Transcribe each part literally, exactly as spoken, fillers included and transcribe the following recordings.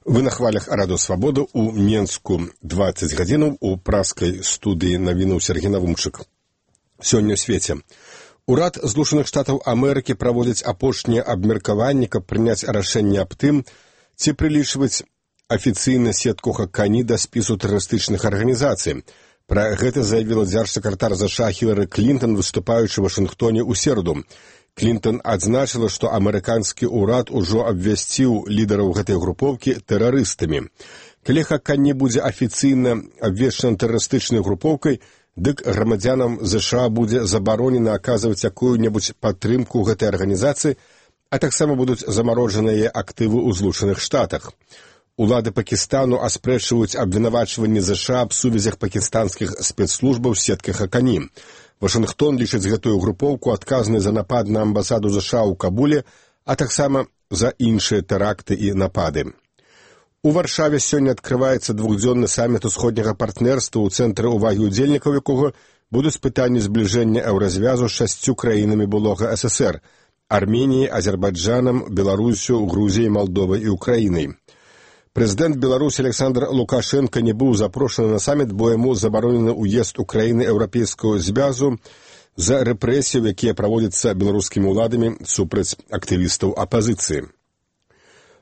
Вы на хвалях Радыё Свабода у Менску дваццаць гадзінаў у праскай студыі навінаў Сергей Навумчык. Сёння ў свеце. Урад Злучаных Штатаў Амерыкі праводзіць апошняе абмеркаванне, каб прыняць рашэнне аб тым, ці прылічваць афіцыйна сетку Хакані да спісу тэрарыстычных арганізацый. Пра гэта заявіла дзяржсакратар ЗША Хілары Клінтон, выступаючы ў Вашынгтоне ў сераду. Клінтон адзначыла, што амерыканскі ўрад ужо абвясціў лідараў гэтай групоўкі тэрарыстамі. Калі Хакані будзе афіцыйна абвешчана тэрарыстычнай групоўкай, дык грамадзянам ЗША будзе забаронена аказваць якую-небудзь падтрымку гэтай арганізацыі, а таксама будуць замарожаныя актывы ў Злучаных Штатах. Улады Пакістану аспрэчваюць абвінавачванні ЗША аб сувязях пакістанскіх спецслужбаў з сеткай Хакані. Вашынгтон лічыць гэтую групоўку адказнай за напад на амбасаду ЗША ў Кабуле, а таксама за іншыя тэракты і напады. У Варшаве сёння адкрываецца двухдзённы саміт усходняга партнерства, у цэнтры ўвагі ўдзельнікаў якога будуць пытанні збліжэння еўразвязу з шасцю краінамі былога ССР – Арменіяй, Азербайджанам, Беларусю, Грузіяй, Малдовай і Украінай. Прэзідэнт Беларусі Александр Лукашенко не быў запрошаны на саміт, бо яму забаронены ўезд у краіны Еўрапейскага звязу за рэпрэсіяў, якія праводзяцца беларускімі ўладамі супраць актывістаў апазіцыі.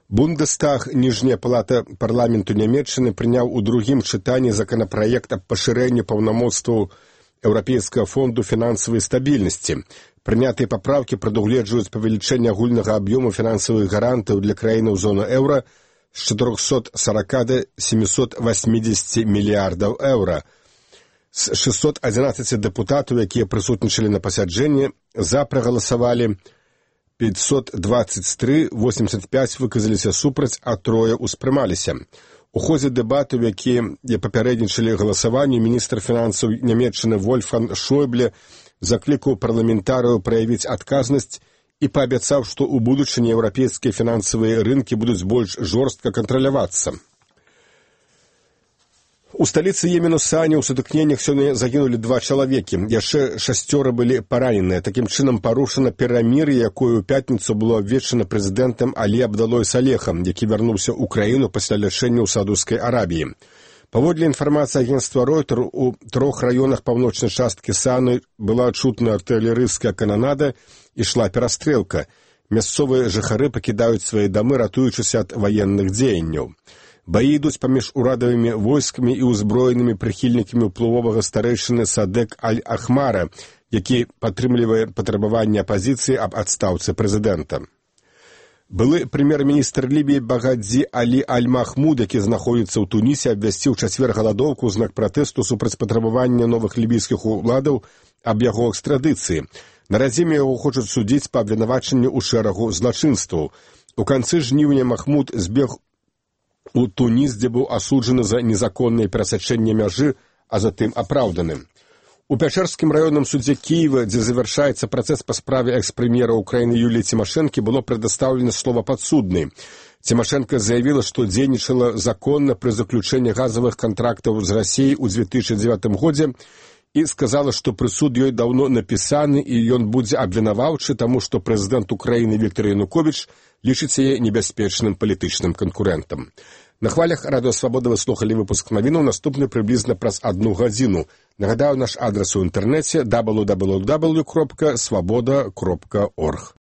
Бундестаг, ніжняя палата парламенту Нямецчыны, прыняў у другім чытанні законапраект аб пашырэнні паўнамоцтваў Еўрапейскага фонду фінансавай стабільнасці. Прынятыя папраўкі прадугледжваюць павелічэнне агульнага аб'ёму фінансавых гарантаў для краінаў зоны еўра з чатырохсот сорока да семісот васьмідзесяці мільярдаў еўра. З шэсцьсот адзінаццаці дэпутатаў, якія прысутнічалі на пасяджэнні, за прагаласавалі пятьсот двадцать три, восемьдесят пять выказаліся супраць, а трое ўспрымаліся. У ходзе дэбатаў, якія папярэднічалі галасаванню, міністр фінансаў Нямецчыны Вольфганг Шойбле заклікаў парламентарыяў праявіць адказнасць і паабяцаў, што ў будучыні еўрапейскія фінансавыя рынкі будуць больш жорстка кантралявацца. У сталіцы Йемену Сані ў сутыкненнях сёння загінулі два чалавекі, яшчэ шасцёра былі параненыя. Такім чынам парушана перамір'е, якое ў пятніцу было абвешчана прэзідэнтам Алі Абдалой Салехам, які вярнуўся ў краіну пасля лячэння ў Саудаўскай Арабіі. Паводле інфармацыі агенцтва Ройтер, у трох раёнах паўночнай часткі Саны была чутна артылерыйская кананада, ішла перастрэлка. Мясцовыя жыхары пакідаюць свае дамы, ратуючыся ад ваенных дзеянняў. Баі ідуць паміж урадавымі войскамі і ўзброенымі прыхільнікамі ўплывовага старэйшыны Садек Аль-Ахмара, які падтрымлівае патрабаванне апазіцыі аб адстаўцы прэзідэнта. Былы прэм'ер-міністр Лібіі Багадзі Алі Аль-Махмуд, які знаходзіцца ў Тунісе, абвясціў чацвер галадоўку ў знак пратэсту супраць патрабавання новых лібійскіх уладаў аб яго экстрадыцыі. На радзіме яго хочуць судзіць па абвінавачанню ў шэрагу злачынстваў. У канцы жніўня Махмуд збег у Туніс, дзе быў асуджаны за незаконнае перасячэнне мяжы, а затым апраўданы. У Пячэрскім раённым судзе Кіева, дзе завяршаецца працэс па справе экс-прэм'ера Украіны Юліі Цімашэнкі, было прадастаўлена слова падсуднай. Цімашэнка заявіла, што дзейнічала законна пры заключэнні газавых кантрактаў з Расіяй у дзве тысячы дзевятым годзе і сказала, што прысуд ёй даўно напісаны і ён будзе абвінаваўчы, таму што прэзідэнт Украіны Віктор Януковіч лічыць яе небяспечным палітычным канкурэнтам. На хвалях Радыё Свабода вы слухалі выпуск навінаў, наступны прыблізна праз адну гадзіну. Нагадаю, наш адрас у інтэрнэце дабл ю дабл ю дабл ю кропка свабода кропка орг.